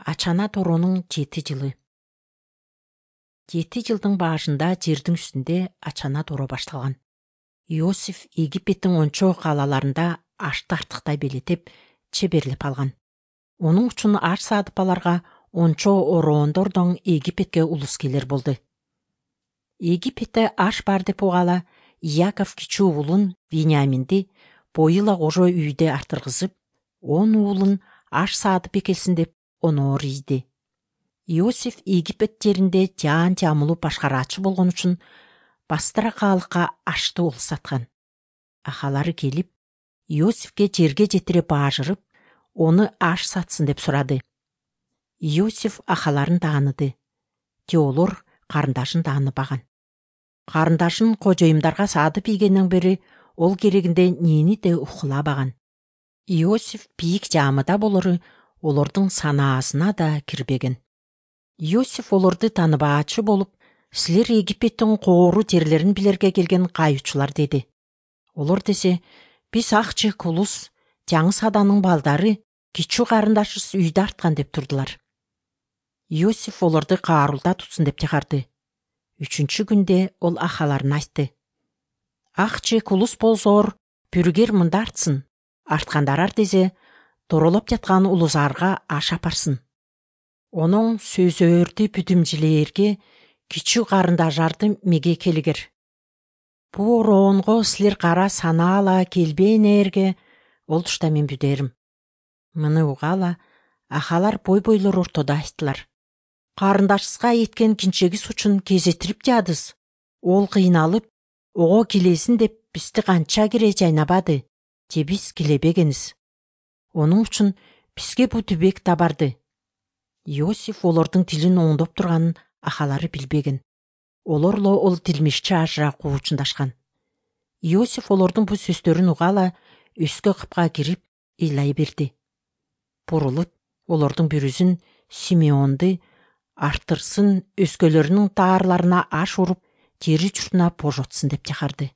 Ачана Торонун 7 жылы. 7 жылдын башында жердин үстүндө ачана торо башталган. Иосиф Египеттин ончо калаларында ашты артыктай белетеп, чеберлеп алган. Онун үчүн аш сатып аларга ончо ороондордон Египетке улус келер болду. Египетте аш бар деп угала, Яков кичүү уулун Вениаминди боюла кожо үйдө артыргызып, 10 уулун аш саатып экелсин деп оноор ийди. Иосиф Египет жеринде жаан жамылуу башкараачы болгон үчүн бастыра каалыкка ашты ол саткан. Ахалары келип, Иосифке жерге жетире баажырып, оны аш сатсын деп сурады. Иосиф ахаларын тааныды. Те олор карындашын тааныбаган. Карындашын кожоюмдарга саатып ийгенден бери ол керегинде нени де укулабаган. Иосиф бийик жаамыда болору олордун санаасына да кирбеген. Иосиф олорду тааныбаачы болуп, силер Египеттин коору жерлерин билерге келген кайычулар деди. Олор десе, биз ак-чек улус, жаңы саданын балдары, кичүү карындашыбыз үйдө арткан деп турдулар. Иосиф олорду каарулда тутсун деп чакырды. 3-чү күндө ол ахаларына айтты. Ак-чек улус болсоор, бүргер мында артсын. Арткандар десе, торолоп жаткан улузарга аш апарсын. Онун сөзөрдү бүтүмжилээрге кичүү карындашарды меге келигер. Бу ороонго силер кара санаала келбейнээрге ол тушта мен бүдөрүм. Муну угала, ахалар бой-бойлор ортодо айттылар. Карындашыбызга эткен кинчегибиз үчүн кезетирип жадыз. Ол кыйналып, ого келесин деп бизди канча кире жайнабады, же биз келебегениз. Онун үчүн бизге бу түбек табарды. Иосиф олордун тилин оңдоп турганын ахалары билбеген. Олорло ол тилмишчи ажыраак учундашкан. Иосиф олордун бу сөздөрүн угала, өскө кыпка кирип, ыйлай берди. Бурулуп, олордун бүрүзүн Симеонду артырсын, өскөлөрүнүн таарларына аш уруп, жери журтуна божотсун деп чакырды.